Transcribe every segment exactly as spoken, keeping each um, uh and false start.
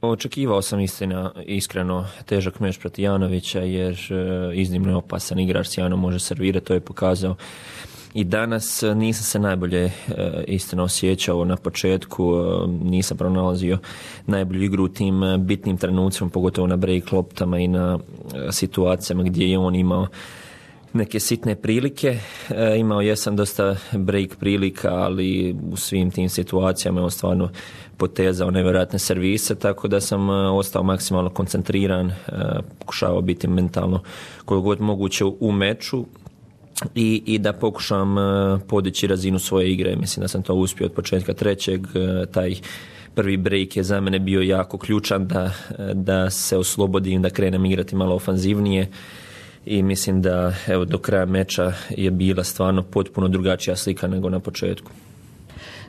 Očekivao sam istina, iskreno težak meč protiv Janovića jer iznimno je opasan igrač, sjajno može servirati, to je pokazao i danas. Nisam se najbolje istina osjećao na početku, nisam pronalazio najbolju igru u tim bitnim trenucima, pogotovo na break loptama i na situacijama gdje je on imao neke sitne prilike. E, imao jesam dosta break prilika, ali u svim tim situacijama je on stvarno potezao nevjerojatne servise, tako da sam e, ostao maksimalno koncentriran, e, pokušavao biti mentalno koliko god moguće u, u meču i, i da pokušam e, podići razinu svoje igre. Mislim da sam to uspio od početka trećeg. E, taj prvi break je za mene bio jako ključan da, da se oslobodim, da krenem igrati malo ofanzivnije. I mislim da evo, do kraja meča je bila stvarno potpuno drugačija slika nego na početku.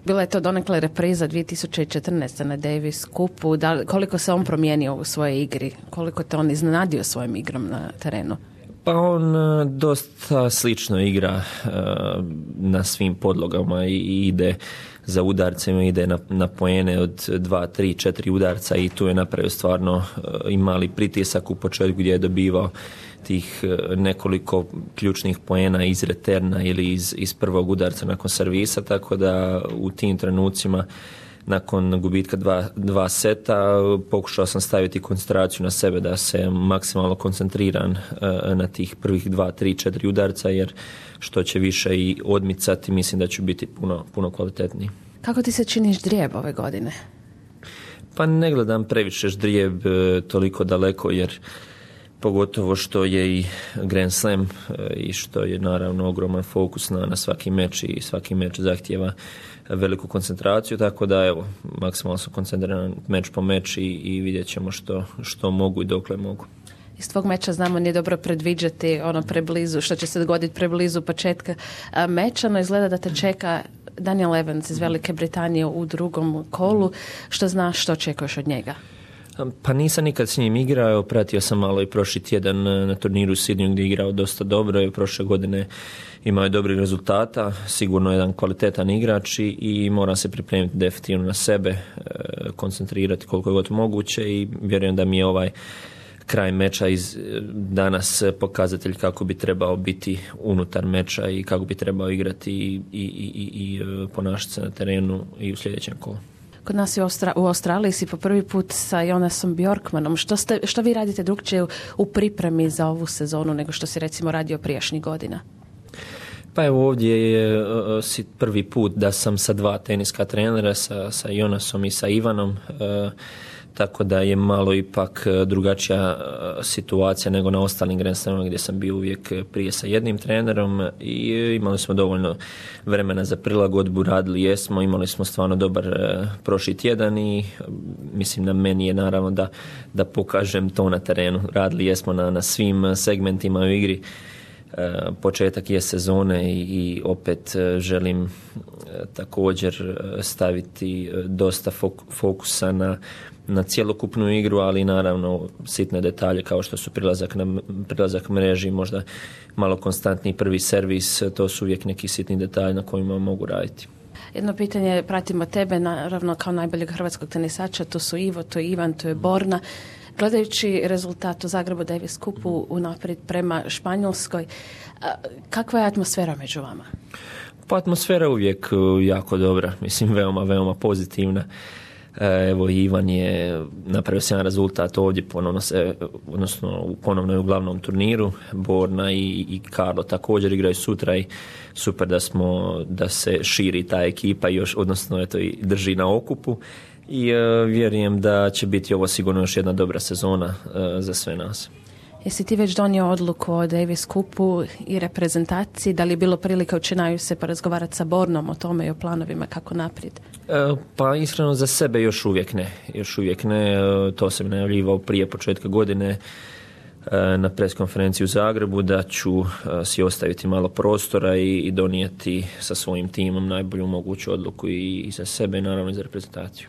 Bila je to donekle repriza dvije tisuće četrnaeste. na Davis Cupu. Da, koliko se on promijenio u svojoj igri? Koliko te on iznenadio svojim igrom na terenu? Pa on dosta slično igra uh, na svim podlogama i, i ide za udarcima, ide na, na poene od dva, tri, četiri udarca i tu je napravio stvarno uh, i mali pritisak u početku gdje je dobivao tih nekoliko ključnih poena iz reterna ili iz, iz prvog udarca nakon servisa, tako da u tim trenucima nakon gubitka dva, dva seta pokušao sam staviti koncentraciju na sebe da se maksimalno koncentriran uh, na tih prvih dva, tri, četiri udarca, jer što će više i odmicati mislim da ću biti puno, puno kvalitetniji. Kako ti se čini ždrijeb ove godine? Pa ne gledam previše ždrijeb uh, toliko daleko, jer pogotovo što je i Grand Slam i što je naravno ogroman fokus na, na svaki meč i svaki meč zahtijeva veliku koncentraciju, tako da evo, maksimalno sam koncentriran meč po meč i, i vidjet ćemo što, što mogu i dokle mogu. Iz tvog meča znamo nije dobro predviđati ono preblizu, što će se dogoditi preblizu početka meča, no izgleda da te čeka Daniel Evans iz Velike Britanije u drugom kolu. Što znaš, što očekuješ od njega? Pa nisam nikad s njim igrao, pratio sam malo i prošli tjedan na turniru u Sidneyu gdje je igrao dosta dobro i prošle godine imao je dobrih rezultata, sigurno jedan kvalitetan igrač i, i moram se pripremiti definitivno na sebe, koncentrirati koliko je god moguće i vjerujem da mi je ovaj kraj meča iz danas pokazatelj kako bi trebao biti unutar meča i kako bi trebao igrati i, i, i, i ponašati se na terenu i u sljedećem kolu. Kod nas u, Austra- u Australiji si po prvi put sa Jonasom Bjorkmanom. Što, ste, što vi radite drugčije u, u pripremi za ovu sezonu nego što si recimo radio prijašnjih godina? Pa evo ovdje je uh, prvi put da sam sa dva teniska trenera, sa, sa Jonasom i sa Ivanom, uh, tako da je malo ipak drugačija situacija nego na ostalim Grand Slamima gdje sam bio uvijek prije sa jednim trenerom i imali smo dovoljno vremena za prilagodbu, radili jesmo, imali smo stvarno dobar prošli tjedan i mislim na meni je naravno da, da pokažem to na terenu. Radili jesmo na, na svim segmentima u igri. Početak je sezone i, i opet želim također staviti dosta fokusa na, na cjelokupnu igru, ali naravno sitne detalje kao što su prilazak na prilazak mreži, možda malo konstantni prvi servis, to su uvijek neki sitni detalji na kojima mogu raditi. Jedno pitanje, pratimo tebe naravno kao najboljeg hrvatskog tenisača, to su Ivo, to je Ivan, to je Borna. Gledajući rezultat u Zagrebu Davis Cupu unaprijed prema Španjolskoj, kakva je atmosfera među vama? Pa atmosfera je uvijek jako dobra, mislim veoma, veoma pozitivna. Evo Ivan je napravio sjajan rezultat ovdje, ponovno se, odnosno ponovno je u glavnom turniru. Borna i, i Karlo također igraju sutra i super da smo, da se širi ta ekipa još, odnosno eto i drži na okupu. I uh, vjerujem da će biti ovo sigurno još jedna dobra sezona uh, za sve nas. Jesi ti već donio odluku o Davis Cupu i reprezentaciji? Da li je bilo prilike u Činaju se porazgovarati sa Bornom o tome i o planovima kako naprijed? Uh, pa iskreno za sebe još uvijek ne. Još uvijek ne. Uh, to sam najavljivao prije početka godine uh, na preskonferenciji u Zagrebu da ću uh, si ostaviti malo prostora i, i donijeti sa svojim timom najbolju moguću odluku i, i za sebe i naravno i za reprezentaciju.